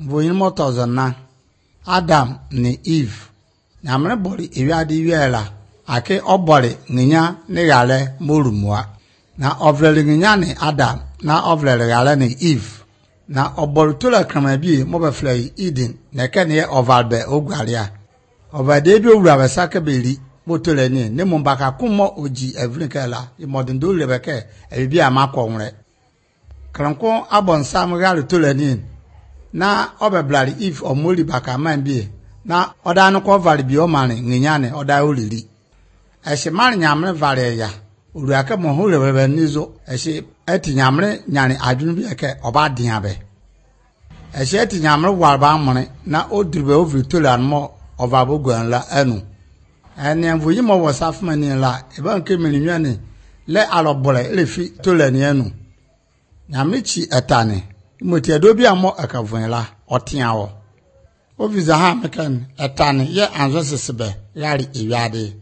Voyin motozana Adam ni Eve nyamre bori ewiade wiela ake obori nginya ne gale morumwa na ovlele nginya ni Adam na ovlele gale ni Eve na obori tola kramabi mo be flay Eden na kene ovalbe ogwaria ovade bi owura be sakabeli motole ni ne mumbaka kumo oji evrinkela imodendo lebeke ebi amakọ nwre kranko abonsam gale tola ni na obeblari if omoli baka manbie na oda no ko vale bi o mane nginyane oda olili ehye mane nyamre vale ya uruaka mo ho lebe nizo ehye eti nyamre nyane adwunu bi eke oba diabe ehye eti nyamre warba amone na odurbe ovitola mo ovabogwan la anu ene mvuyi mo wasafmani la eba nke melinwane le alobole le fi tolani anu nyamre chi etane imoti adobi amo akavunla otiawo oviza ha mekan etane ye anzo sesebe yari ewiade